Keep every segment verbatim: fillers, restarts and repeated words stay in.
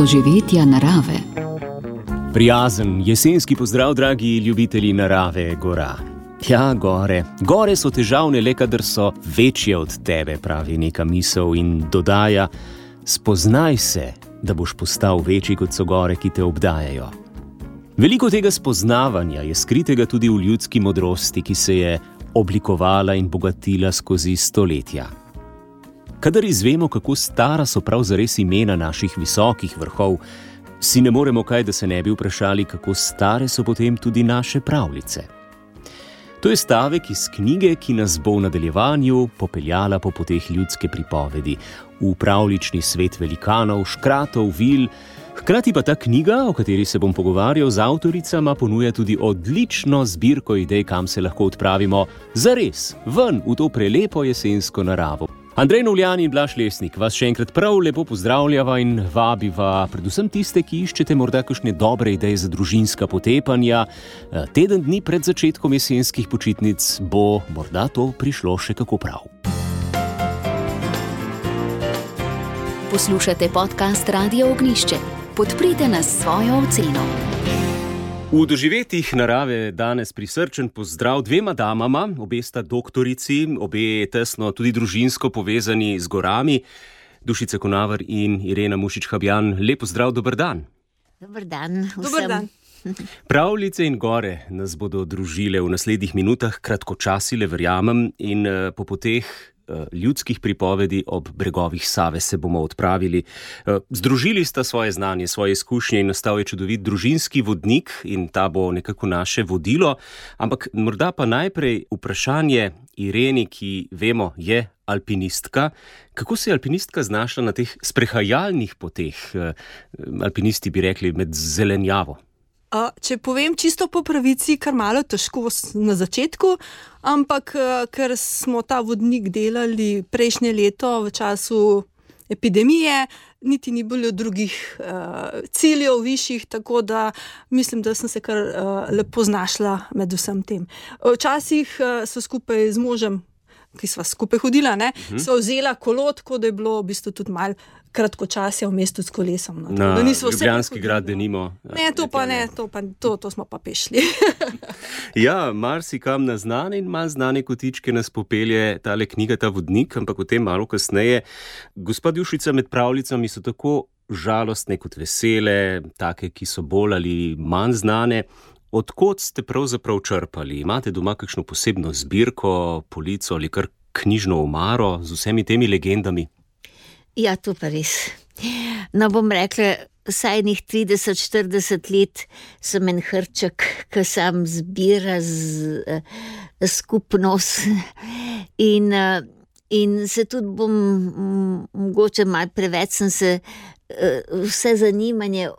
doživetja narave. Prijazen jesenski pozdrav, dragi ljubitelji narave, gora. Ja, gore. Gore so težavne, le kadar so večje od tebe, pravi neka misel in dodaja: spoznaj se, da boš postal večji, kot so gore, ki te obdajajo. Veliko tega spoznavanja je skritega tudi v ljudski modrosti, ki se je oblikovala in bogatila skozi stoletja. Kadar izvemo, kako stara so prav zares imena naših visokih vrhov, si ne moremo kaj, da se ne bi vprašali, kako stare so potem tudi naše pravljice. To je stavek iz knjige, ki nas bo v nadaljevanju popeljala po poteh ljudske pripovedi, v pravljični svet velikanov, škratov, vil. Hkrati pa ta knjiga, o kateri se bom pogovarjal z avtoricama, ponuja tudi odlično zbirko idej, kam se lahko odpravimo zares, ven v to prelepo jesensko naravo. Andrej Novljan in Blaž Lesnik vas še enkrat prav lepo pozdravljava in vabiva predvsem tiste, ki iščete morda kakšne dobre ideje za družinska potepanja. Teden dni pred začetkom jesenskih počitnic bo morda to prišlo še kako prav. Poslušate podcast Radio Ognjišče. Podprite nas s svojo oceno. V doživetjih narave danes prisrčen pozdrav dvema damama, obe sta doktorici, obe tesno tudi družinsko povezani z gorami, Dušica Konavar in Irena Mušič-Habjan. Lep pozdrav, dober dan. Dober dan vsem. Dober dan. Pravljice in gore nas bodo družile v naslednjih minutah, kratkočasile, verjamem, in po poteh ljudskih pripovedi ob bregovih Save se bomo odpravili. Združili sta svoje znanje, svoje izkušnje in nastal je čudovit družinski vodnik in ta bo nekako naše vodilo. Ampak morda pa najprej vprašanje Ireni, ki vemo je alpinistka. Kako se je alpinistka znašla na teh sprehajalnih poteh, alpinisti bi rekli, med zelenjavo? Če povem čisto po pravici, kar malo težko na začetku, ampak ker smo ta vodnik delali prejšnje leto v času epidemije, niti ni bilo drugih uh, ciljev višjih, tako da mislim, da sem se kar uh, lepo znašla med vsem tem. Včasih uh, so skupaj z možem, ki sva skupaj hodila, ne, uh-huh. sva vzela kolo, tako da je bilo v bistvu tudi malo kratkočasje v mestu s kolesom. No. Na Ljubljanski grad denimo. Ne, to pa ne, to, pa, to, to smo pa pešli. Ja, marsikam na znane in manj znane kotičke nas popelje tale knjiga, ta vodnik, ampak o tem malo kasneje. Gospa Dušica, med pravljicami so tako žalostne kot vesele, take, ki so bolj ali manj znane. Odkot ste pravzaprav črpali? Imate doma kakšno posebno zbirko, polico ali kar knjižno omaro z vsemi temi legendami? Ja, to pa res. No, bom rekla, vsaj njih trideset štirideset let sem en hrček, ki sam zbira z, z skupnost in, in se tudi bom mogoče malo preveč sem se vse zanimanje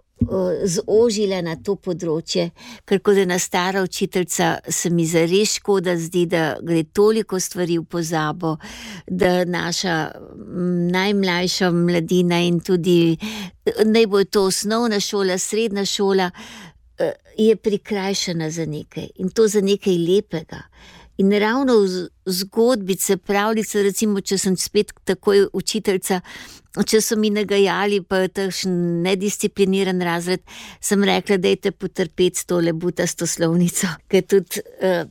zožila na to področje, ker kot ena stara učiteljica se mi zares škoda zdi, da gre toliko stvari v pozabo, da naša najmlajša mladina in tudi naj bo to osnovna šola, srednja šola, je prikrajšana za nekaj in to za nekaj lepega. In ravno v zgodbice, pravljice, recimo, če sem spet takoj učiteljica, če so mi nagajali pa takšen nediscipliniran razred, sem rekla, dajte potrpeti s tole butasto slovnico, ker tudi uh,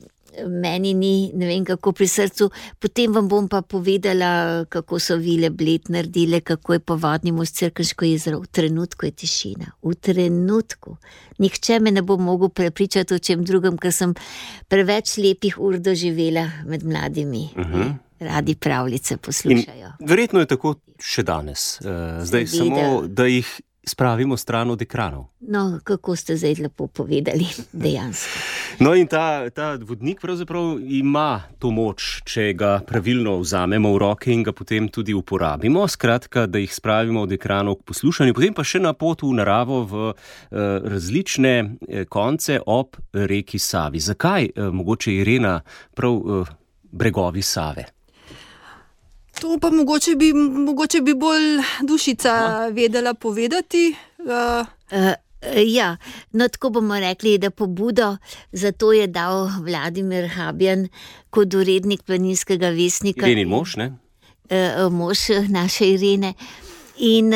meni ni, ne vem kako pri srcu. Potem vam bom pa povedala, kako so vile Bled naredile, kako je po vodni most Cerkniško jezero. V trenutku je tišina, v trenutku. Nihče me ne bo mogel prepričati o čem drugem, ker sem preveč lepih ur doživela med mladimi. Uh-huh. Radi pravljice poslušajo. In verjetno je tako še danes. Zdaj Seveda. Samo, da jih spravimo stran od ekranov. No, kako ste zdaj lepo povedali, dejansko. No in ta, ta vodnik pravzaprav ima to moč, če ga pravilno vzamemo v roke in ga potem tudi uporabimo. Skratka, da jih spravimo od ekranov k poslušanju, potem pa še na pot v naravo v uh, različne uh, konce ob reki Savi. Zakaj uh, mogoče Irena prav uh, bregovi Save? To pa mogoče bi, mogoče bi bolj Dušica Aha. vedela povedati. Uh. Uh, ja, no tako bomo rekli, da pobudo za to je dal Vladimir Habjan kot urednik Planinskega vestnika. Irenin mož, ne? Uh, mož naše Irene. In,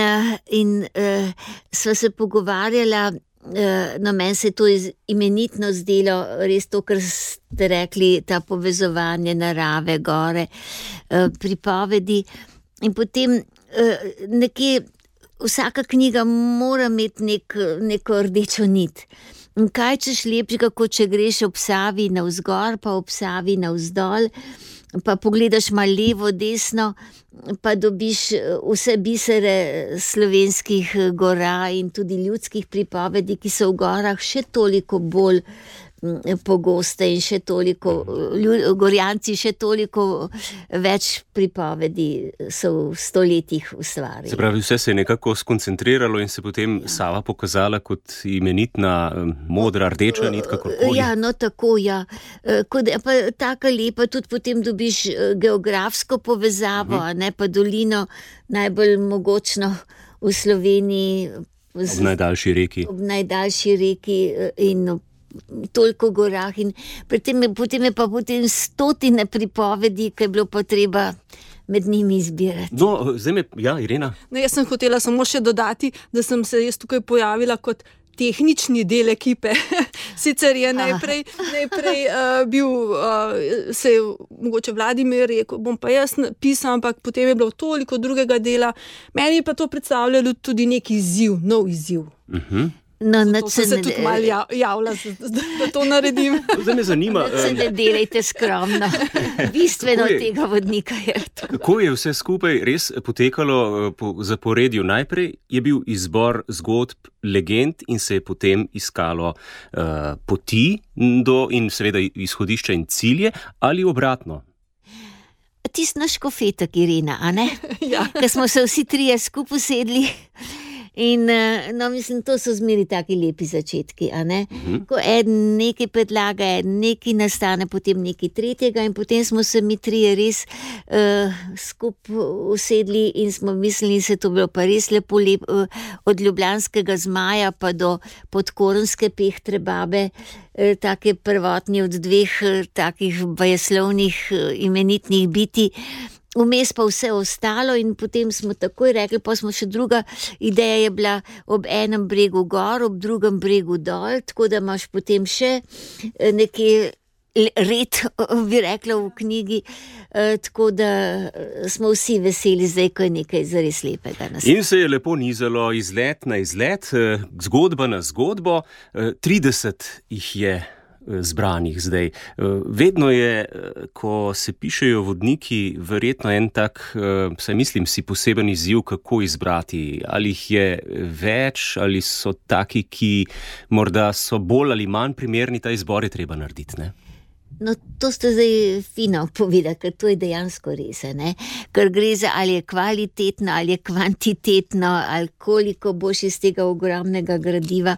in uh, sva se pogovarjala, uh, no, meni se je to imenitno zdelo, res to, kar ste rekli, ta povezovanje narave, gore, uh, pripovedi. In potem uh, nekje vsaka knjiga mora imeti nek, neko rdečo nit. In kaj češ lepšega, kot če greš ob Savi navzgor, pa ob Savi navzdol, pa pogledaš malo levo, desno, pa dobiš vse bisere slovenskih gora in tudi ljudskih pripovedi, ki so v gorah še toliko bolj pogoste in še toliko, Gorjanci še toliko več pripovedi so v stoletjih ustvarili. Se pravi, vse se je nekako skoncentriralo in se potem ja. Sava pokazala kot imenitna modra, rdeča nit, kakorkoli. Ja, no tako, ja. Kod, pa taka lepa, tudi potem dobiš geografsko povezavo, uh-huh. ne, pa dolino najbolj mogočno v Sloveniji. Ob najdaljši reki. Ob najdaljši reki in toliko gorah in potem je, potem je pa potem stotine pripovedi, ki je bilo pa treba med njimi izbirati. No, zdaj me, ja, Irena. No, jaz sem hotela samo še dodati, da sem se jaz tukaj pojavila kot tehnični del ekipe. Sicer je najprej, najprej uh, bil, uh, se je mogoče Vladimir rekel, bom pa jaz pisal, ampak potem je bilo toliko drugega dela. Meni je pa to predstavljalo tudi neki izziv, nov izziv. Mhm. No, Zato sem se tudi malo javila, da to naredim. Zdaj me zanima. Se ne delajte skromno. Bistveno je, tega vodnika je to. Kako je vse skupaj res potekalo po zaporedju? Najprej je bil izbor zgodb, legend in se je potem iskalo uh, poti do in seveda izhodišča in cilje ali obratno? Tisti naš škofetek, Irena, a ne? Ja. Ko smo se vsi trije skupaj sedli. In no, mislim, to so zmeri taki lepi začetki, a ne? Uh-huh. Ko eden nekaj predlaga, eden nekaj nastane, potem nekaj tretjega in potem smo se mi trije res uh, skupaj usedli in smo mislili, se to bilo pa res lepo, lep, uh, od ljubljanskega zmaja pa do podkorenske pehtre babe, uh, take prvotni od dveh uh, takih bajeslovnih uh, imenitnih biti. Vmes pa vse ostalo in potem smo takoj rekli, pa smo še druga ideja je bila ob enem bregu gor, ob drugem bregu dol, tako da imaš potem še nekje red, bi rekla v knjigi, tako da smo vsi veseli zdaj, ko je nekaj zares lepega nastalo. In se je lepo nizalo izlet na izlet, zgodba na zgodbo, trideset jih je zbranih zdaj. Vedno je, ko se pišejo vodniki, verjetno en tak, saj mislim, si poseben izziv, kako izbrati. Ali jih je več, ali so taki, ki morda so bolj ali manj primerni, ta izbor je treba narediti, ne? No, to ste zdaj fino povedali, ker to je dejansko res, ne? Ker gre za ali je kvalitetno, ali je kvantitetno, ali koliko boš iz tega ogromnega gradiva.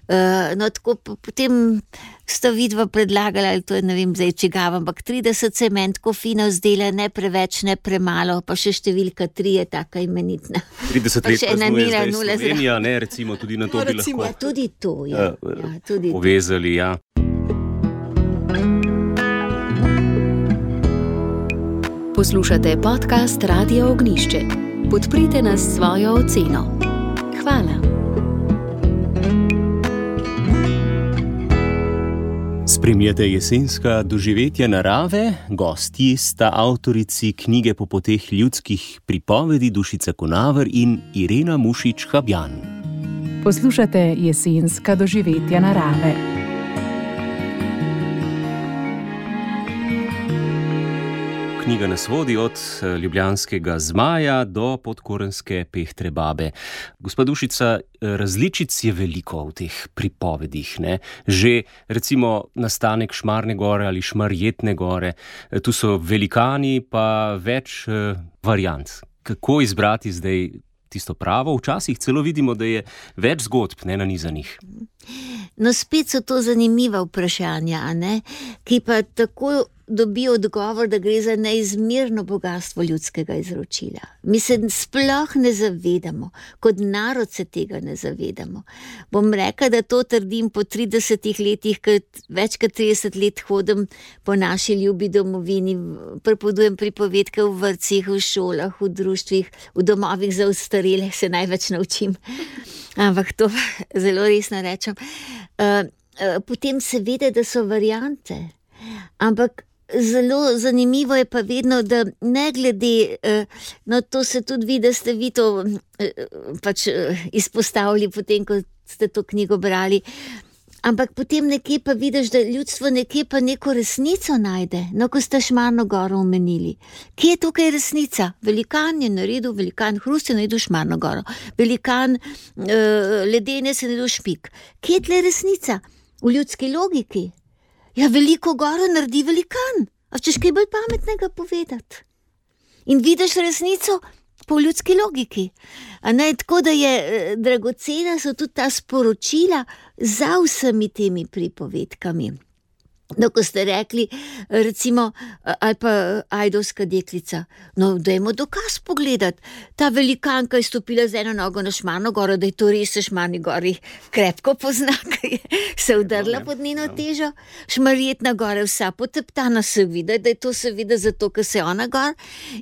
Uh, no, tako potem sta vidva predlagala, ali to je, ne vem, zdaj čigav, ampak trideset se meni tako fino zdela, ne preveč, ne premalo, pa še številka tri je taka imenitna. trideset let praznuje zdaj Slovenija, ne, recimo tudi na to no, bi recimo, lahko ja, tudi to, ja, uh, ja, tudi povezali, ja. Poslušate podcast Radio Ognišče. Podprite nas s svojo oceno. Hvala. Spremljate jesenska doživetja narave, gostji sta avtorici knjige Popoteh ljudskih pripovedi Dušica Konaver in Irena Mušič-Habjan. Poslušate jesenska doživetja narave. Knjiga nas vodi od ljubljanskega zmaja do podkorenske pehtre babe. Gospa Dušica, različic je veliko v teh pripovedih, ne? Že recimo nastanek Šmarne gore ali Šmarjetne gore, tu so velikani pa več uh, variant. Kako izbrati zdaj tisto pravo? Včasih celo vidimo, da je več zgodb nenanizanih. No, spet so to zanimiva vprašanja, a ne? Ki pa tako dobi odgovor, da gre za neizmerno bogatstvo ljudskega izročila. Mi se sploh ne zavedamo, kot narod se tega ne zavedamo. Bom rekla, da to trdim po tridesetih letih, ker več kot trideset let hodim po naši ljubi domovini, pripovedujem pripovedke v vrtcih, v šolah, v društvih, v domovih za ostarele, se največ naučim. Ampak to zelo resno rečem. Uh, uh, potem se vede, da so variante. Ampak zelo zanimivo je pa vedno, da ne glede, no to se tudi vidi, da ste vi to pač izpostavili potem, ko ste to knjigo brali, ampak potem nekje pa vidiš, da ljudstvo nekje pa neko resnico najde, no ko ste Šmarno goro omenili. Kje je tukaj resnica? Velikan je naredil, velikan Hrust je naredil Šmarno goro, velikan uh, Ledene se naredil Špik. Kje je tle resnica? V ljudski logiki. Ja, veliko goro naredi velikan. A češ kaj bolj pametnega povedati? In vidiš resnico po ljudski logiki. A ne, tako da je dragocena so tudi ta sporočila za vsemi temi pripovedkami. No, ko ste rekli, recimo, ali pa Ajdovska deklica, no, dajmo dokaz pogledati. Ta velikanka je stopila z eno nogo na Šmarno goro, da je to res v Šmarni gori krepko pozna, ker je se udrla pod njeno težo. Šmarjetna gora je vsa poteptana, se vidi, da je to seveda zato, ker se je ona gor,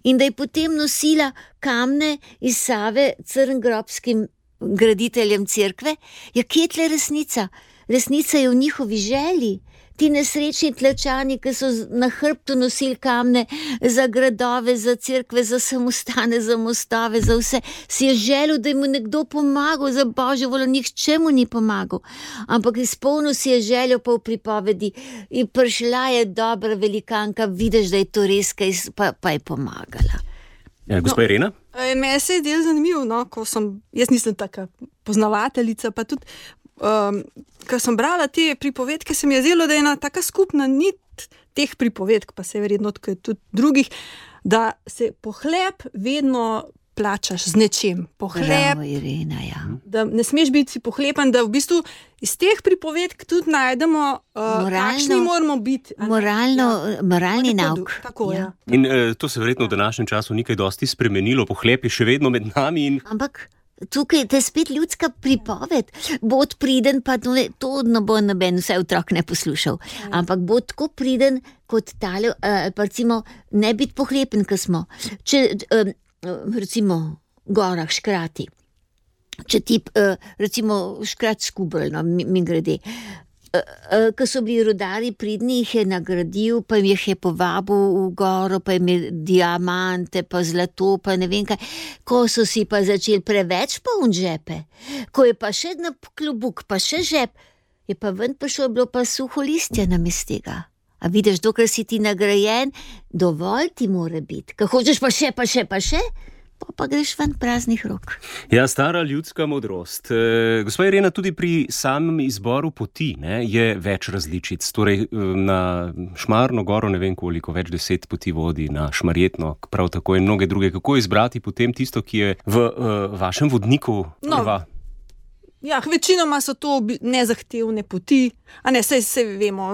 in da je potem nosila kamne iz Save crngrobskim graditeljem cerkve. Ja, kje je tle resnica? Resnica je v njihovi želji. Ti nesrečni Tlačani, ki so na hrbtu nosili kamne za gradove, za cerkve, za samostane, za mostove, za vse, si je želel, da mu nekdo pomagal, za Božjo voljo, nihče mu ni pomagal. Ampak izpolnil si je željo pa v pripovedi in prišla je dobra velikanka, vidiš, da je to res, kaj, pa, pa je pomagala. Ja, gospa no, Irena? Meni se je del zanimiv, no, ko sem, jaz nisem taka poznavateljica, pa tudi Um, ko sem brala te pripovedke, se mi je zdelo, da je ena taka skupna nit teh pripovedk, pa se je verjetno tudi drugih, da se pohlep vedno plačaš z nečim. Pohlep, Bravo, Irena, ja. Da ne smeš biti pohlepen, da v bistvu iz teh pripovedk tudi najdemo, uh, kakšni moramo biti. Moralno, ja. Moralni tako, nauk. Tako, ja. Ja. In uh, to se verjetno v današnjem času ni kaj dosti spremenilo, pohlep je še vedno med nami in... Ampak tukaj je spet ljudska pripoved, bod priden, pa to ne, to ne bo noben, vse otrok ne poslušal, ampak bo tako priden kot tale, uh, pa recimo ne biti pohlepen, ko smo, če uh, recimo gorah škrati, če ti uh, recimo škrat Škubrl, no, mi, mi grede, uh, uh, ko so bili rudarji pridni, jih je nagradil, pa jih je povabil v goro, pa jim je diamante, pa zlato, pa ne vem kaj, ko so si pa začeli preveč poln žepe, ko je pa še na klobuk, pa še žep, je pa ven prišlo, bilo pa suho listje namest tega. A vidiš, dokler si ti nagrajen, dovolj ti mora biti. Ko hočeš pa še, pa še, pa še, pa, pa greš ven praznih rok. Ja, stara ljudska modrost. E, gospa Irena, tudi pri samem izboru poti, ne, je več različic. Torej, na Šmarno goro ne vem koliko, več deset poti vodi, na Šmarjetno, prav tako in mnoge druge. Kako izbrati potem tisto, ki je v uh, vašem vodniku prva? No. Ja, večinoma so to nezahtevne poti, a ne, saj se vemo,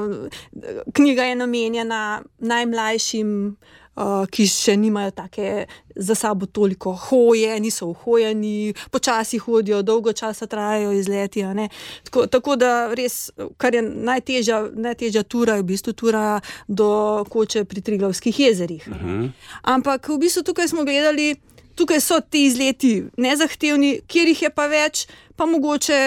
knjiga je namenjena najmlajšim, uh, ki še nimajo take za sabo toliko hoje, niso uhojeni, počasi hodijo, dolgo časa trajajo izleti, a ne. Tako, tako da res, kar je najtežja, najtežja tura, je v bistvu tura do Koče pri Triglavskih jezerih. Uh-huh. Ampak v bistvu tukaj smo gledali, tukaj so ti izleti nezahtevni, kjer jih je pa več, pa mogoče,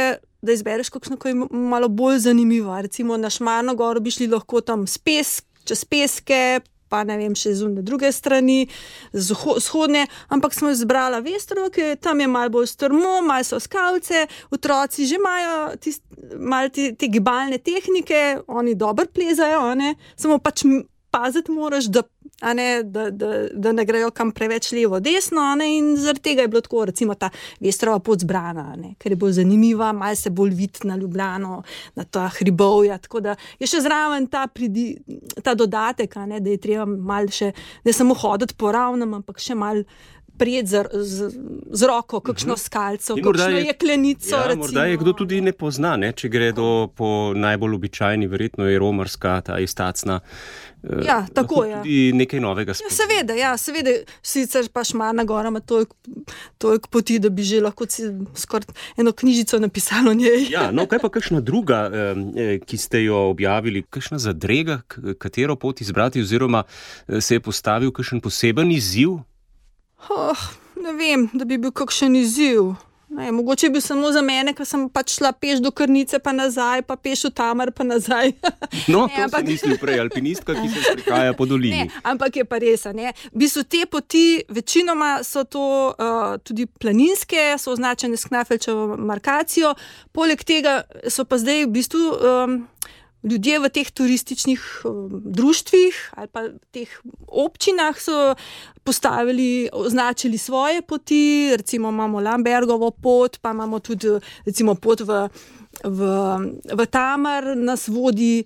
da izbereš kakšno kaj malo bolj zanimivo. Recimo na Šmarno goro bi šli lahko tam pesk, čez peske, pa ne vem, še z druge strani, vzhodne, ampak smo izbrala Vestro, ker tam je malo bolj strmo, malo so skavce, otroci že imajo tist, malo te, te gibalne tehnike, oni dobro plezajo, ne? Samo pač paziti moraš, da a ne, da, da, da ne grejo kam preveč levo, desno, a ne, in zaradi tega je bilo tako, recimo ta Vestrova pot zbrana, a ne, ker je bolj zanimiva, malo se bolj vidi na Ljubljano, na ta hribovja, tako da je še zraven ta, pridi, ta dodatek, a ne, da je treba malo še, ne samo hoditi po ravnem, ampak še malo prijeti z, z, z roko kakšno uh-huh. skalco, kakšno je, jeklenico. Ja, recimo. Morda je kdo tudi ne pozna, ne? Če gre do po najbolj običajni, verjetno je romarska, ta istacna. Ja, tako je. Tudi nekaj novega spomni. Ja, seveda, ja, seveda, sicer pa Šmarna gora ima toliko, toliko poti, da bi že lahko skoraj eno knjižico napisalo o njej. Ja, no, kaj pa kakšna druga, eh, ki ste jo objavili, kakšna zadrega, katero pot izbrati, oziroma se je postavil kakšen poseben izziv? Oh, ne vem, da bi bil kakšen izziv. Ne, mogoče bi samo za mene, ker sem pač šla peš do Krnice pa nazaj, pa peš v Tamar pa nazaj. No, ne, to ampak... sem mislil prej, alpinistka, ki se sprehaja po dolini. Ne, ampak je pa res, ne. V bistvu te poti, večinoma so to uh, tudi planinske, so označene s Knafelčevo markacijo, poleg tega so pa zdaj v bistvu um, ljudje v teh turističnih um, društvih ali pa teh občinah so postavili, označili svoje poti, recimo imamo Lambergovo pot, pa imamo tudi recimo pot v, v, v Tamar, nas vodi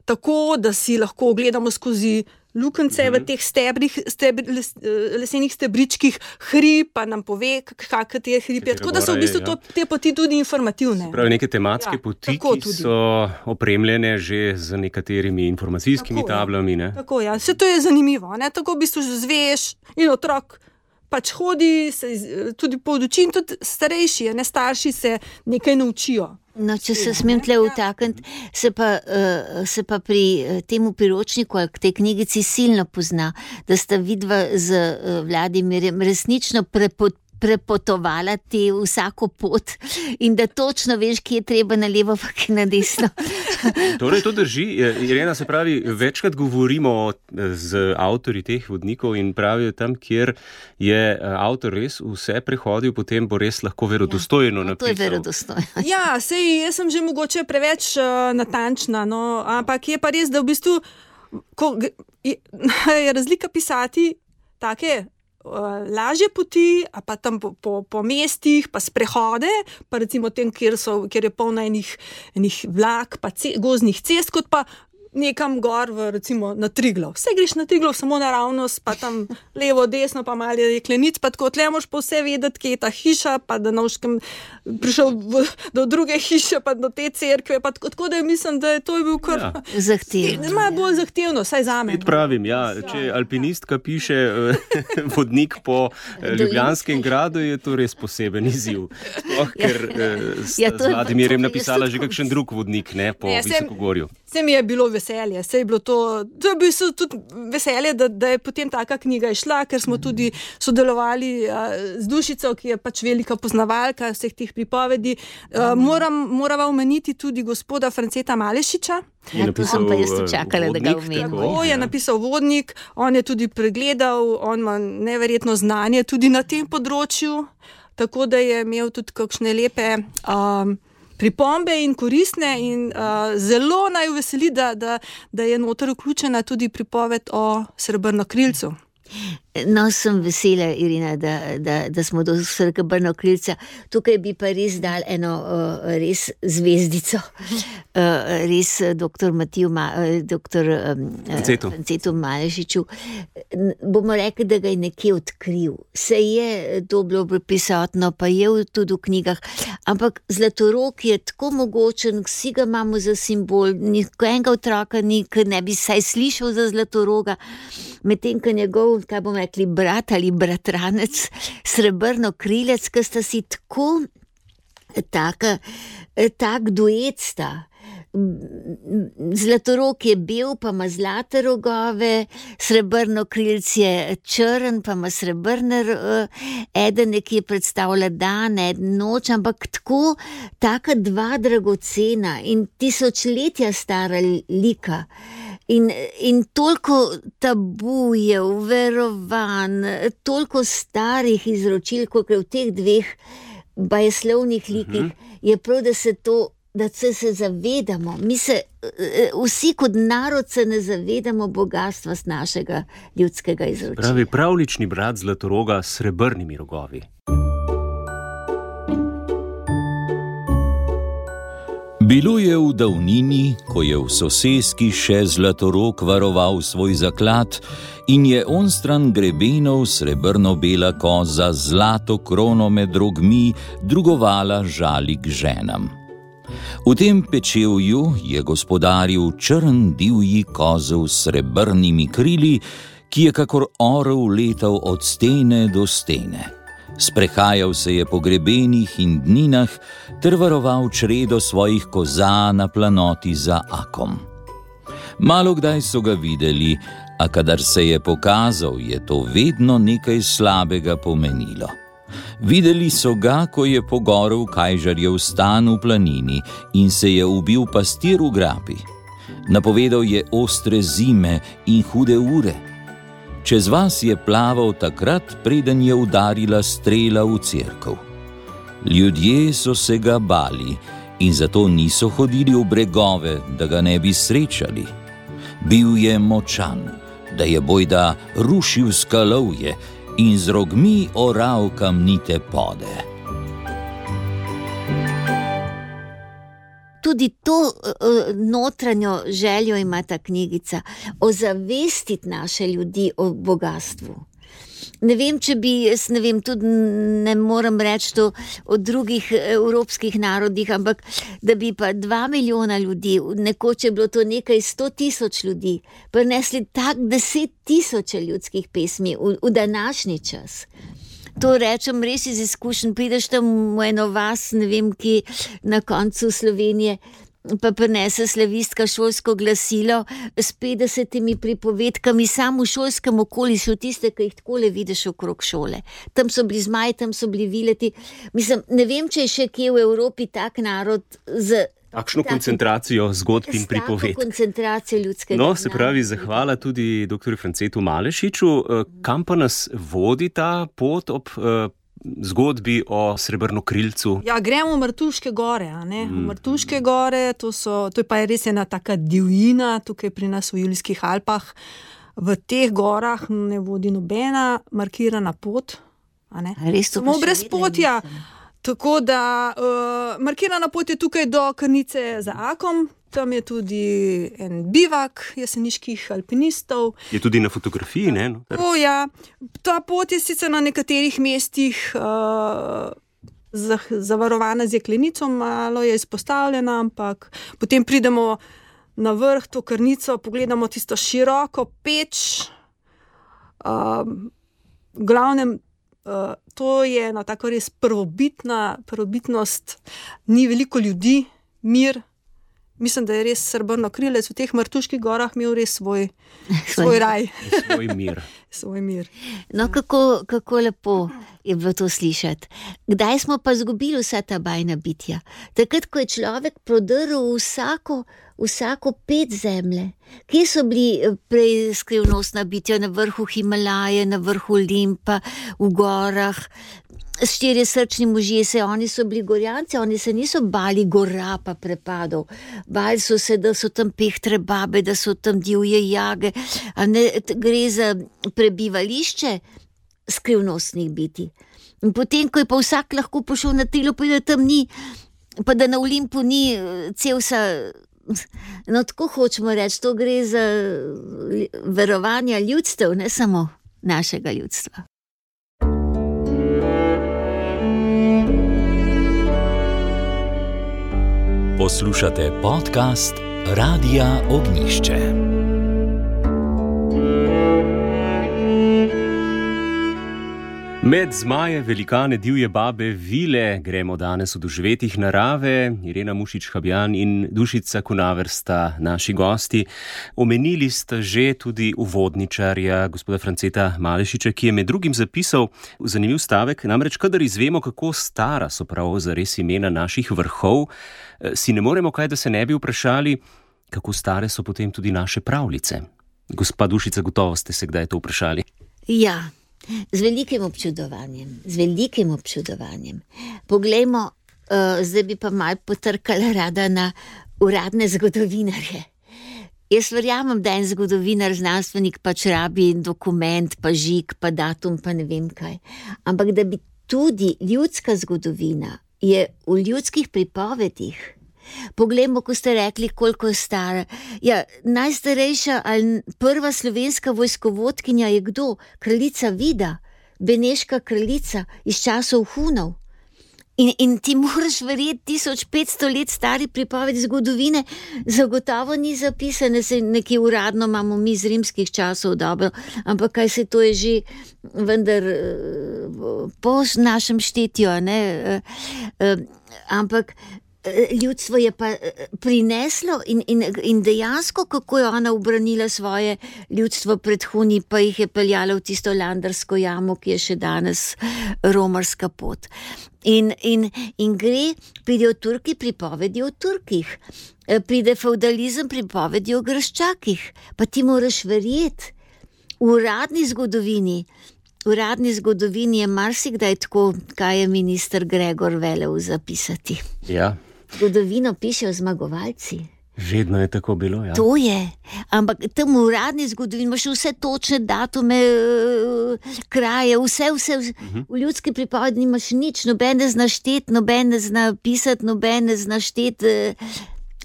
tako, da si lahko ogledamo skozi lukence mm-hmm. v teh stebrih, stebri, les, lesenih stebričkih hrib, pa nam pove, kak je hrib. Tako da so v bistvu to, te poti tudi informativne. Pravi, neke tematske ja, poti, ki tudi so opremljene že z nekaterimi informacijskimi tako, tablami. Ne? Tako, ja. Vse to je zanimivo. Ne? Tako v bistvu zveš in otrok pač hodi, se tudi pouči in tudi starejši, ne starši se nekaj naučijo. No, če se smem tle vtakniti, se pa, uh, se pa pri uh, temu priročniku ali k tej knjigici silno pozna, da sta vidva z uh, Vladimirjem resnično prepot, prepotovala te vsako pot in da točno veš, kje je treba na levo, pa kje na desno. Torej, to drži. Irena, se pravi, večkrat govorimo z avtorji teh vodnikov in pravijo tam, kjer je avtor res vse prehodil, potem bo res lahko verodostojno ja, napisal. To je verodostojno. Ja, sej, jaz sem že mogoče preveč uh, natančna, no, ampak je pa res, da v bistvu ko, je, je razlika pisati take lažje poti, a pa tam po, po, po mestih, pa sprehode, pa recimo tem, kjer, so, kjer je polno enih, enih vlak, pa ce, gozdnih cest, kot pa nekam gor, v, recimo na Triglav. Vse greš na Triglav samo naravnost, pa tam levo, desno, pa malo jeklenic, pa tako tle moš pa vse vedeti, kje je ta hiša, pa da nauškem prišel v, do druge hiše, pa do te cerkve, pa tako, tako da mislim, da je to je bil kar ja. zahtevno. Malo bolj zahtevno, saj zame. Spet pravim, ja, če alpinistka piše vodnik po Ljubljanskem gradu, je to res poseben izziv. Oh, ker sta ja, z Vladimirjem napisala že kakšen drug vodnik, ne, po ne, Visokogorju. Se mi je bilo veselje, se je bilo to, to je bilo tudi veselje, da, da je potem taka knjiga išla, ker smo tudi sodelovali a, z Dušico, ki je pač velika poznavalka vseh teh pripovedi. A, moram, morava omeniti tudi gospoda Franceta Malešiča. Ja, to sem pa jaz čakala, vodnik, da ga omenim. Tako je napisal vodnik, on je tudi pregledal, on ima neverjetno znanje tudi na tem področju, tako da je imel tudi kakšne lepe um, pripombe in koristne in uh, zelo naj veseli, da, da, da je noter vključena tudi pripoved o Srebrnokrilcu. No, sem vesela, Irina, da, da, da smo do Srebrnokrilca. Tukaj bi pa res dal eno uh, res zvezdico. Uh, res doktor Matiju, Ma, uh, doktor um, Francetu Malešiču. Bomo rekli, da ga je nekje odkril. Se je to bilo prisotno, pa je tudi v knjigah. Ampak Zlatorog je tako mogočen, vsi ga imamo za simbol, nikoenega otroka ni, ki ne bi saj slišal za Zlatoroga. Medtem, ko njegov, kaj bomo rekli, brat ali bratranec, Srebrnokrilec, ki sta si tako taka, tak duet sta. Zlatorog je bel, pa ima zlate rogove, Srebrnokrilc je črn, pa ima srebrne, eden nekje predstavlja dan, eden noč, ampak tako, taka dva dragocena in tisočletja stara lika. In, in toliko tabujev, verovanj, toliko starih izročil, kot je v teh dveh bajeslovnih likih, uh-huh. je prav, da se to, da se, se zavedamo. Mi se, vsi kot narod se ne zavedamo bogatstva z našega ljudskega izročila. Pravi pravlični brat Zlatoroga s srebrnimi rogovi. Bilo je v davnini, ko je v soseski še Zlatorog varoval svoj zaklad in je onstran grebenov srebrno-bela koza zlato krono med rogmi drugovala žalik ženam. V tem pečevju je gospodaril črn divji kozel s srebrnimi krili, ki je kakor orel letal od stene do stene. Sprehajal se je po grebenih in dninah ter varoval čredo svojih koza na planoti za Akom. Malokdaj so ga videli, a kadar se je pokazal, je to vedno nekaj slabega pomenilo. Videli so ga, ko je pogorel kajžarjev stan v planini in se je ubil pastir v grapi. Napovedal je ostre zime in hude ure. Čez vas je plaval takrat, preden je udarila strela v cerkev. Ljudje so se ga bali in zato niso hodili v bregove, da ga ne bi srečali. Bil je močan, da je bojda rušil skalovje in z rogmi oral kamnite pode. Tudi to uh, notranjo željo ima ta knjigica, ozavestiti naše ljudi o bogatstvu. Ne vem, če bi, jaz ne vem, tudi ne morem reči to o drugih evropskih narodih, ampak da bi pa dva milijona ljudi, nekoč je bilo to nekaj sto tisoč ljudi, prinesli tak deset tisoče ljudskih pesmi v, v današnji čas. To rečem res iz izkušenj, prideš tam v eno vas, ne vem, ki na koncu Slovenije, pa prinese slavistka šolsko glasilo s petdesetimi pripovedkami samo v šolskem okolišu, tiste, ki jih takole vidiš okrog šole. Tam so bili zmaji, tam so bili vileti. Mislim, ne vem, če je še kje v Evropi tak narod z Takšno koncentracijo zgodb in pripovedk. Koncentracijo ljudskega No, se pravi, zahvala tudi doktorju Francetu Malešiču. Kam pa nas vodi ta pot ob uh, zgodbi o srebrnokrilcu? Ja, gremo v Martuške gore, a ne? V Martuške gore, to, so, to je pa res ena taka divjina, tukaj pri nas v Julijskih Alpah. V teh gorah ne vodi nobena markirana pot, a ne? Samo brez potja. Tako da uh, markirana pot je tukaj do Krnice za Akom, tam je tudi en bivak jeseniških alpinistov. Je tudi na fotografiji, ne? No? O, ja. Ta pot je sicer na nekaterih mestih uh, zavarovana z jeklenico, malo je izpostavljena, ampak potem pridemo na vrh to Krnico, pogledamo tisto široko peč, uh, v glavnem Uh, to je ena tako res prvobitna, prvobitnost, ni veliko ljudi, mir. Mislim, da je res srebrnokrilec v teh Martuških gorah imel res svoj, svoj raj. Svoj mir. Svoj mir. No, kako, kako lepo je bilo to slišati. Kdaj smo pa izgubili vsa ta bajna bitja? Takrat, ko je človek prodrl vsako, vsako pet zemlje. Kje so bili prej skrivnostna bitja? Na vrhu Himalaje, na vrhu Olimpa, v gorah. Štirje srčni možje, se oni so bili gorjanci, oni se niso bali gora pa prepadov. Bali so se, da so tam pehtre babe, da so tam divje jage. A ne, gre za prebivališče skrivnostnih bitij. In potem, ko je pa vsak lahko pošel na trilo, pa da tam ni, pa da na Olimpu ni Cevsa. No, tako hočemo reči, to gre za verovanja ljudstev, ne samo našega ljudstva. Poslušate podcast Radia Ognjišče. Med zmaje, velikane, divje babe, vile gremo danes v doživetjih narave. Irena Mušič-Habjan in Dušica Kunaver sta naši gosti. Omenili sta že tudi uvodničarja, gospoda Franceta Malešiča, ki je med drugim zapisal zanimiv stavek, namreč kadar izvemo, kako stara so prav zares imena naših vrhov, si ne moremo kaj, da se ne bi vprašali, kako stare so potem tudi naše pravljice. Gospa Dušica, gotovo ste se kdaj to vprašali? Ja. Z velikim občudovanjem, z velikim občudovanjem. Poglejmo, uh, zdaj bi pa malo potrkala rada na uradne zgodovinarje. Jaz verjamem, da en zgodovinar, znanstvenik pač rabi dokument, pa žig, pa datum, pa ne vem kaj. Ampak da bi tudi ljudska zgodovina je v ljudskih pripovedih Poglejmo, ko ste rekli, koliko je stara. Ja, najstarejša ali prva slovenska vojskovodkinja je kdo? Kraljica Vida, beneška kraljica iz časov Hunov. In, in ti moraš verjeti, tisoč petsto let stari pripovedi zgodovine zagotovo ni zapisane, se nekje uradno imamo mi iz rimskih časov dobro, ampak kaj se to je že vendar po našem štetju, ne? Ampak ljudstvo je pa prineslo in, in, in dejansko, kako je ona ubranila svoje ljudstvo pred Huni, pa jih je peljala v tisto landarsko jamo, ki je še danes romarska pot. In, in, in gre, pridejo Turki, pripovedi o Turkih, pride feudalizem, pripovedi o Graščakih, pa ti moraš verjeti, v uradni zgodovini, v uradni zgodovini je marsikdaj tako, kaj je minister Gregor velel zapisati. Ja. Zgodovino pišejo zmagovalci. Vedno je tako bilo, ja. To je, ampak tam v uradni zgodovini imaš vse točne datume, kraje, vse, vse, vse. Uh-huh. V ljudski pripovedi nimaš nič, nobene zna štet, nobene zna pisati, nobene zna štet,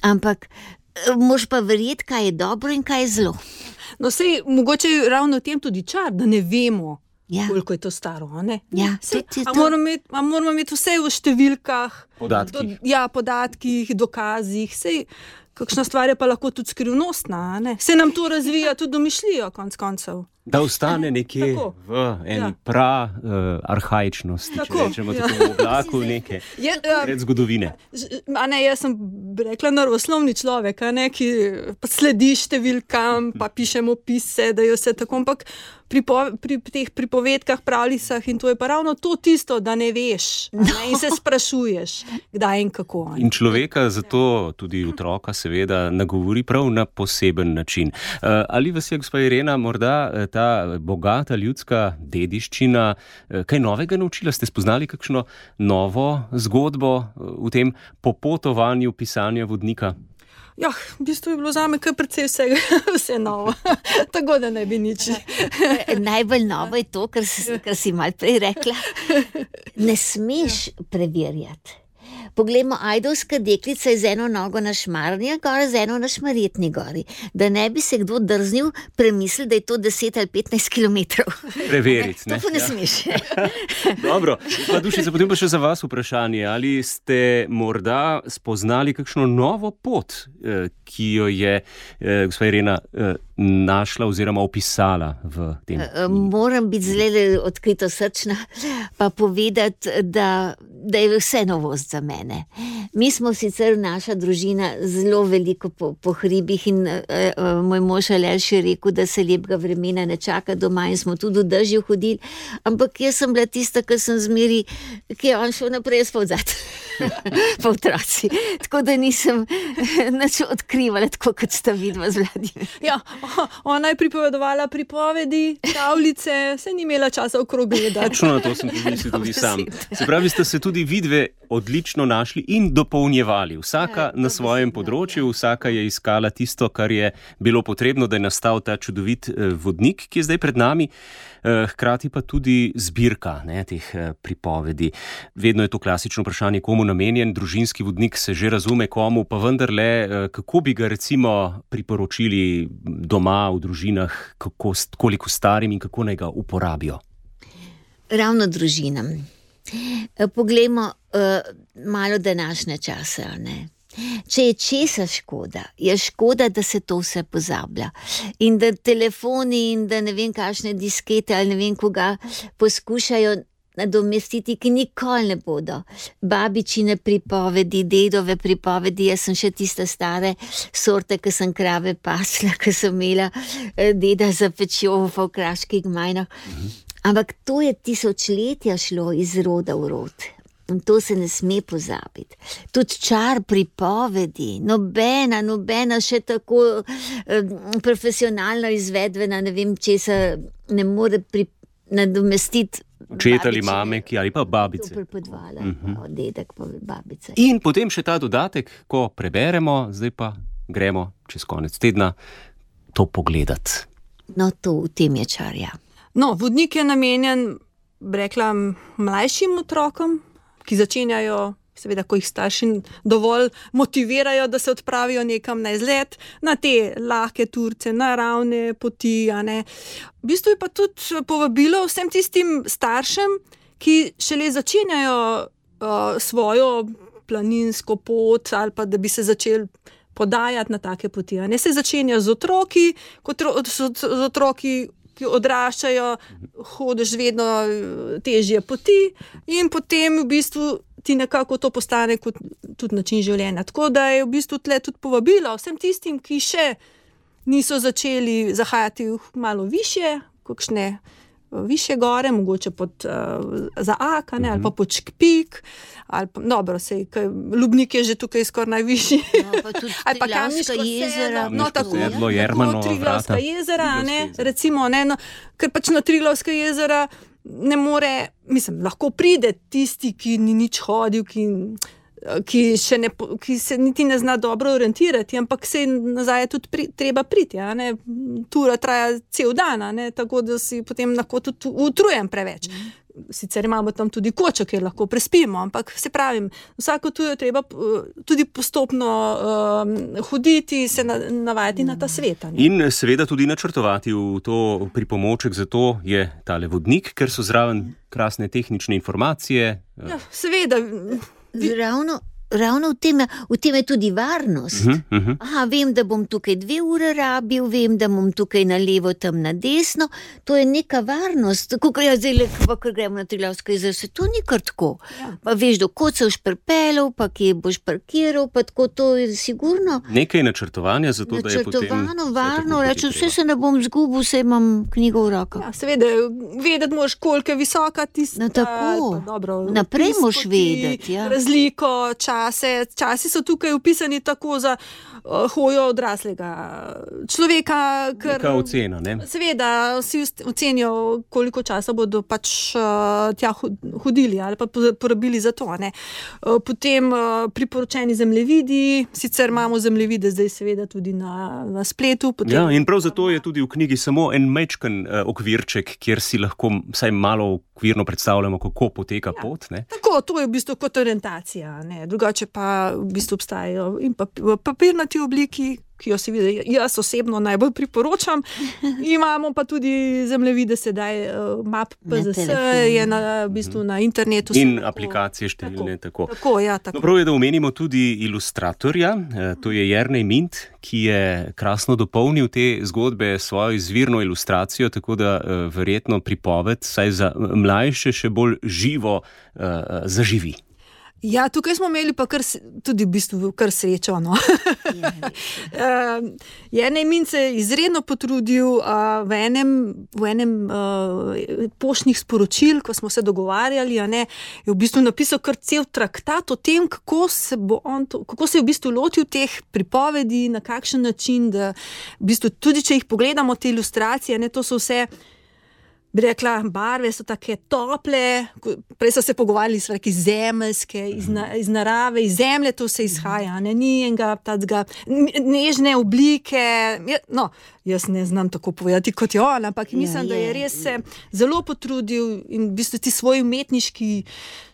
ampak moraš pa verjeti, kaj je dobro in kaj je zlo. No, sej, mogoče je ravno v tem tudi čar, da ne vemo, ja, koliko je to staro, ne? Ja, sej, to, a, moramo imeti, a moramo imeti vse v številkah, podatkih. Do, ja, podatkih, dokazih, sej, kakšna stvar je pa lahko tudi skrivnostna, ne? Se nam to razvija tudi domišljijo, konc koncev. Da ostane nekje tako, v eni ja, pra uh, arhaičnosti, tako, če rečemo ja, tako v oblaku neke je, uh, pred zgodovine. A ne, jaz sem rekla naravoslovni človek, a ne, ki pa sledi številkam, pa pišemo opise, da je vse tako, ampak pri, pri teh pripovedkah, pravljicah in to je pa ravno to tisto, da ne veš, ne, in se sprašuješ, kdaj in kako. Ne. In človeka zato, tudi otroka seveda, nagovori prav na poseben način. Uh, ali vas je, gospa Irena, morda ta bogata ljudska dediščina kaj novega naučila? Ste spoznali kakšno novo zgodbo v tem popotovanju pisanja vodnika? Ja, v bistvu je bilo zame kar precej vse, vse novo, tako da ne bi nič. Najbolj novo je to, kar si, kar si malo prej rekla. Ne smeš preverjati. Poglejmo, ajdovska deklica je z eno nogo na Šmarni gori, z eno na Šmarjetni gori. Da ne bi se kdo drznil premisliti, da je to deset ali petnajst kilometrov. Preveriti, ne? To pa ne smeš. Dobro, pa Dušica, potem pa še za vas vprašanje. Ali ste morda spoznali kakšno novo pot, ki jo je gospa Irena našla oziroma opisala v tem? Moram biti zelo odkrito srčna, pa povedati, da, da je vse novost za mene. Mi smo sicer, naša družina, zelo veliko po, po hribih in uh, moj mož Aleš je rekel, da se lepega vremena ne čaka doma in smo tudi v dežju hodili, ampak jaz sem bila tista, ki sem zmeri, ki je on šel naprej spavzat. Pa otroci. Tako da nisem nič odkrivala, tako kot sta vidva z Vladim. Ja, ona je pripovedovala pripovedi, pravljice, se ni imela časa okrog gledati. Točno na to sem pomislil tudi sam. Se pravi, ste se tudi vidve odlično našli in dopolnjevali. Vsaka na svojem področju, vsaka je iskala tisto, kar je bilo potrebno, da je nastal ta čudovit vodnik, ki je zdaj pred nami. Hkrati pa tudi zbirka, ne, teh pripovedi. Vedno je to klasično vprašanje, komu namenjen. Družinski vodnik se že razume komu, pa vendarle, kako bi ga recimo priporočili doma, v družinah, kako, koliko starim in kako naj ga uporabijo? Ravno družinam. Poglejmo uh, malo današnje čase, ne? Če je česa škoda, je škoda, da se to vse pozablja. In da telefoni in da ne vem kakšne diskete ali ne vem koga poskušajo nadomestiti, ki nikoli ne bodo. Babičine pripovedi, dedove pripovedi, jaz sem še tiste stare sorte, ki sem krave pasla, ki sem imela deda za pečjo v kraških gmajnah. Ampak to je tisočletja šlo iz roda v rod. In to se ne sme pozabiti. Tudi čar pripovedi, nobena, nobena še tako eh, profesionalno izvedvena, ne vem česa, ne more pri, nadomestiti očeta ali mame, ki ali pa babice. To prepodvala, uh-huh. Dedek pa babice. In potem še ta dodatek, ko preberemo, zdaj pa gremo čez konec tedna to pogledati. No, to v tem je čar, ja. No, vodnik je namenjen, rekla, mlajšim otrokom, ki začenjajo seveda, ko jih starši dovolj motivirajo, da se odpravijo nekam na izlet, na te lahke turce, naravne poti. A ne. V bistvu je pa tudi povabilo vsem tistim staršem, ki šele začenjajo uh, svojo planinsko pot ali pa da bi se začeli podajati na take poti. A ne se začenja z otroki, kot z otroki, ki odraščajo, hodiš vedno težje poti in potem v bistvu ti nekako to postane kot tudi način življenja. Tako da je v bistvu tle tudi povabilo vsem tistim, ki še niso začeli zahajati malo višje, kakšne višje gore, mogoče pod uh, za Ak, ne, ali pa pod Škpik, ali pa, dobro, sej, Lubnik je že tukaj skoraj najvišji. No, pa tudi Triglavska jezera. No, tako, sedlo, Jermanova Triglavska vrata. jezera, ne, jezera. recimo, ne, no, ker pač na Triglavska jezera ne more, mislim, lahko pride tisti, ki ni nič hodil, ki ki, še ne, ki se niti ne zna dobro orientirati, ampak se nazaj je tudi pri, treba priti. A ne? Tura traja cel dan, a ne? Tako da si potem lahko tudi utrujen preveč. Sicer imamo tam tudi kočo, kjer lahko prespimo, ampak se pravim, vsako tujo treba tudi postopno um, hoditi, se na, navajati na ta svet. In seveda tudi načrtovati v to pripomoček, zato je tale vodnik, ker so zraven krasne tehnične informacije. Ja, seveda. Ravno, ravno v tem, v tem je tudi varnost. Uh-huh, uh-huh. Aha, vem, da bom tukaj dve ure rabil, vem, da bom tukaj na levo, tam na desno. To je neka varnost. Ko ja, zdaj, pa, ko gremo na Triglavsko jezero, se to ni kar tako. Ja. Pa veš, do kod se boš pripeljal, pa kje boš parkiral, pa tako to je sigurno. Nekaj načrtovanja, zato da je potem... Načrtovano, varno, rečem, vse se ne bom zgubil, vse imam knjigo v rokah. Ja, seveda, vedeti moraš, koliko je visoka tista. No, tako. Pa, dobro, naprej moraš vedeti. Ja. Razliko, čase. Časi so tukaj upisani tako za uh, hojo odraslega človeka. Ker, neka ocena, ne? Seveda, vsi ocenijo, koliko časa bodo pač uh, tja hodili ali pa porabili za to. Ne? Uh, potem uh, priporočeni zemljevidi, sicer imamo zemljevide zdaj seveda tudi na, na spletu. Potem... Ja, in prav zato je tudi v knjigi samo en majčken uh, okvirček, kjer si lahko vsaj malo okvirno predstavljamo, kako poteka ja, pot. Ne? Tako, to je v bistvu kot orientacija. Ne? Drugače pa v bistvu obstajajo in pa v papirnati obliki, ki jo seveda jaz osebno najbolj priporočam. Imamo pa tudi zemljevide sedaj, map P Z S je na, v bistvu na internetu. In tako, aplikacije številne. Tako. Tako. Tako, ja, tako. No, prav je, da omenimo tudi ilustratorja, to je Jernej Mint, ki je krasno dopolnil te zgodbe svojo izvirno ilustracijo, tako da verjetno pripoved, saj za mlajše še bolj živo zaživi. Ja, tukaj smo imeli pa kar, tudi v bistvu kar srečo. No. Jernej Mint se je izredno potrudil uh, v enem, v enem uh, poštnih sporočil, ko smo se dogovarjali, a ne, je v bistvu napisal kar cel traktat o tem, kako se, bo on to, kako se je v bistvu lotil teh pripovedi, na kakšen način, da v bistvu tudi, če jih pogledamo, te ilustracije, ne, to so vse, bi rekla, barve so take tople, prej so se pogovarjali s reki zemeljske, iz, na, iz narave, iz zemlje to se izhaja, ne, ni enega tacga, nežne oblike, no, jaz ne znam tako povedati kot jo, ampak mislim, ja, je. da je res se zelo potrudil in v bistvu ti svoj umetniški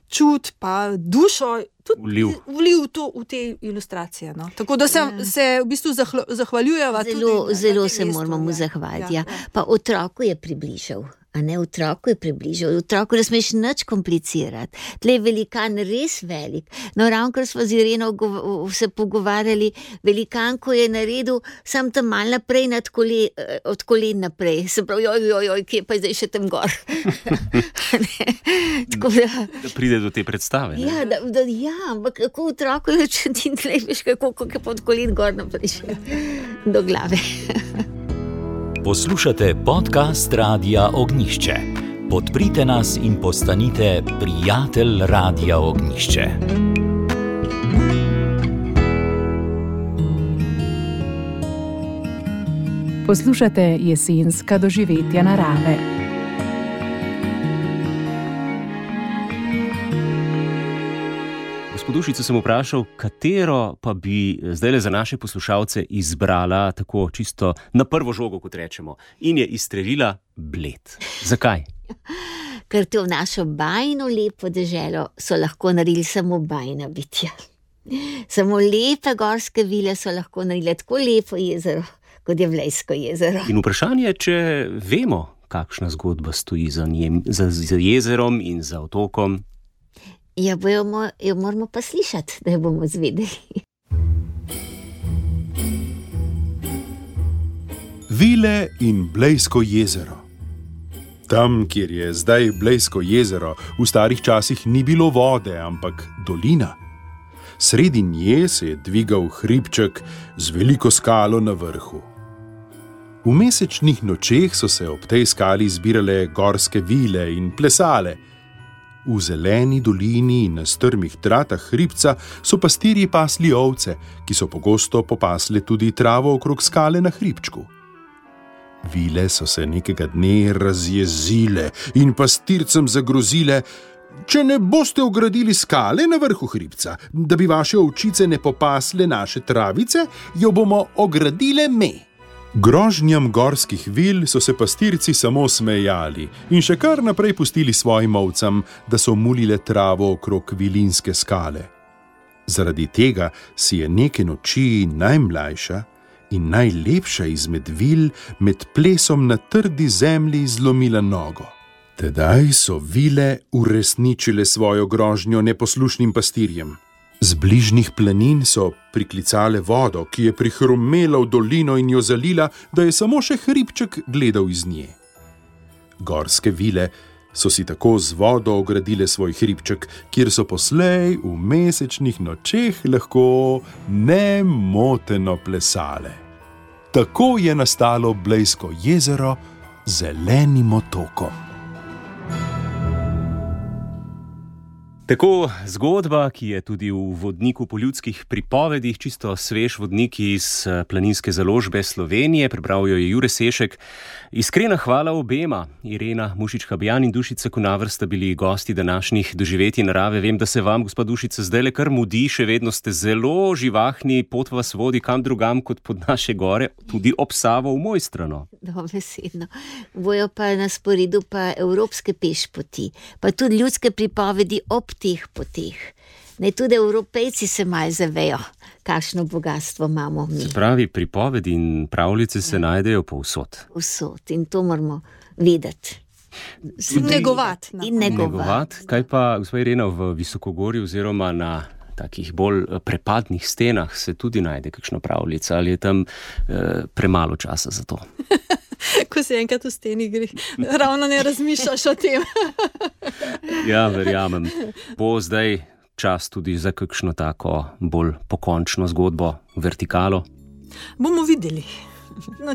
čut pa dušo tudi vliv to v te ilustracije. No. Tako da se, ja. se v bistvu zahvaljujeva zelo, tudi. Zelo se moramo mu zahvaliti. Ja. Ja. Pa otroku je približal. A ne, otroku je približal. Otroku ne smeš nič komplicirati. Tle je velikan res velik. No, ravno kar smo z Ireno se pogovarjali, velikan, ko je naredil sam tam mal naprej, nad kole, od kolen naprej. Se pravi, joj, joj, joj, kje pa je zdaj še tam gor. Tako da... Da pride do te predstave. Ne? Ja, da, da, ja, ampak kako otroku je, če ti ne veš, kako je pod kolen gor naprej še do glave. Poslušate podcast Radia Ognjišče. Podprite nas in postanite prijatelj Radia Ognjišče. Poslušate jesenska doživetja narave. Dušico sem vprašal, katero pa bi zdajle za naše poslušalce izbrala tako čisto na prvo žogo, kot rečemo, in je izstrelila Bled. Zakaj? ker te v našo bajno lepo deželo so lahko naredili samo bajna bitja. Samo lepe gorske vile so lahko naredile tako lepo jezero, kot je Blejsko jezero. In vprašanje, če vemo, kakšna zgodba stoji za njem, za, za jezerom in za otokom. Ja, bojo, jo moramo pa slišati, da jo bomo zvedeli. Vile in Blejsko jezero. Tam, kjer je zdaj Blejsko jezero, v starih časih ni bilo vode, ampak dolina. Sredi nje se je dvigal hribček z veliko skalo na vrhu. V mesečnih nočeh so se ob tej skali zbirale gorske vile in plesale. V zeleni dolini in na strmih tratah hribca so pastirji pasli ovce, ki so pogosto popasle tudi travo okrog skale na hribčku. Vile so se nekega dne razjezile in pastircem zagrozile: če ne boste ogradili skale na vrhu hribca, da bi vaše ovčice ne popasle naše travice, jo bomo ogradile me. Grožnjam gorskih vil so se pastirci samo smejali in še kar naprej pustili svojim ovcam, da so mulile travo okrog vilinske skale. Zaradi tega si je neke noči najmlajša in najlepša izmed vil med plesom na trdi zemlji zlomila nogo. Tedaj so vile uresničile svojo grožnjo neposlušnim pastirjem. Z bližnjih planin so priklicale vodo, ki je prihrumela v dolino in jo zalila, da je samo še hribček gledal iz nje. Gorske vile so si tako z vodo ogradile svoj hribček, kjer so poslej v mesečnih nočeh lahko nemoteno plesale. Tako je nastalo Blejsko jezero z zelenim otokom. Tako zgodba, ki je tudi v vodniku po ljudskih pripovedih, čisto svež vodnik iz Planinske založbe Slovenije, prebral jo je Jure Sešek. Iskrena hvala obema, Irena Mušič-Habjan in Dušica Kunaver sta bili gosti današnjih doživetij narave. Vem, da se vam, gospa Dušica, zdaj le kar mudi, še vedno ste zelo živahni, pot vas vodi kam drugam kot pod naše gore, tudi ob Savo v Mojstrano. Dobesedno. Bojo pa na sporedu pa evropske pešpoti, pa tudi ljudske pripovedi ob teh poteh. Ne, tudi Evropejci se malo zavejo, kakšno bogatstvo imamo mi. Se pravi, pripovedi in pravljice se ja. najdejo povsod. Povsod, in to moramo vedeti. Negovati. In negovati. Kaj pa, gospa Irena, v Visokogorju oziroma na takih bolj prepadnih stenah se tudi najde kakšna pravljica, ali je tam eh, premalo časa za to? Ko si enkrat v steni gre, ravno ne razmišljaš o tem. Ja, verjamem. Bo zdaj čas tudi za kakšno tako bolj pokončno zgodbo, vertikalo? Bomo videli,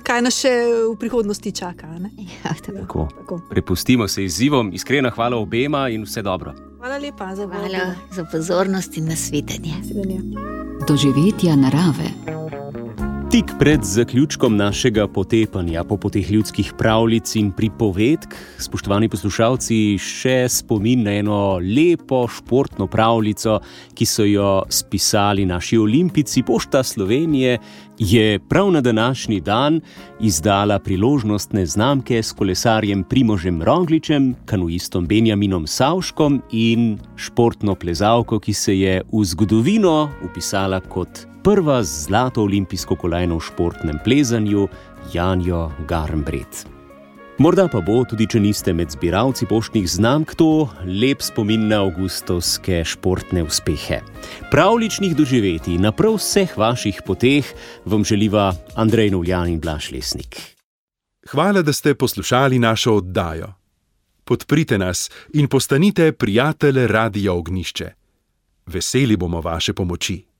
kaj nas še v prihodnosti čaka. Ne? Ja, tako. Tako. Prepustimo se izzivom. Iskrena hvala obema in vse dobro. Hvala lepa za Hvala vabilo. za pozornost in nasvidenje. Doživetja narave. Tik pred zaključkom našega potepanja po poteh ljudskih pravljic in pripovedk, spoštovani poslušalci, še spomin na eno lepo športno pravljico, ki so jo spisali naši olimpijci. Pošta Slovenije je prav na današnji dan izdala priložnostne znamke s kolesarjem Primožem Rogličem, kanuistom Benjaminom Savškom in športno plezalko, ki se je v zgodovino vpisala kot prva z zlato olimpijsko kolajno v športnem plezanju, Janjo Garnbret. Morda pa bo, tudi če niste med zbiralci poštnih znamk, to lep spomin na avgustovske športne uspehe. Pravličnih doživetij na prav vseh vaših poteh vam želiva Andrej Novljan in Blaž Lesnik. Hvala, da ste poslušali našo oddajo. Podprite nas in postanite prijatelj Radia Ognjišče. Veseli bomo vaše pomoči.